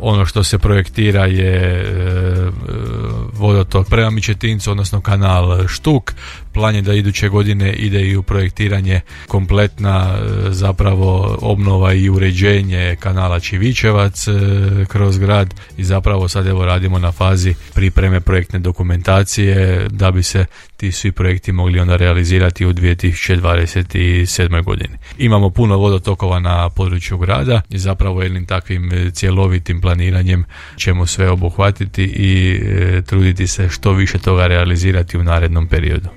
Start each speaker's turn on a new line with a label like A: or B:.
A: Ono što se projektira je vodotok prema Mičetincu, odnosno kanal Štuk. Plan je da iduće godine ide i u projektiranje kompletna zapravo obnova i uređenje kanala Čivičevac kroz grad i zapravo sad evo radimo na fazi pripreme projektne dokumentacije da bi se ti svi projekti mogli onda realizirati u 2027. godini. Imamo puno vodotokova na području grada i zapravo jednim takvim cjelovitim planiranjem ćemo sve obuhvatiti i truditi se što više toga realizirati u narednom periodu.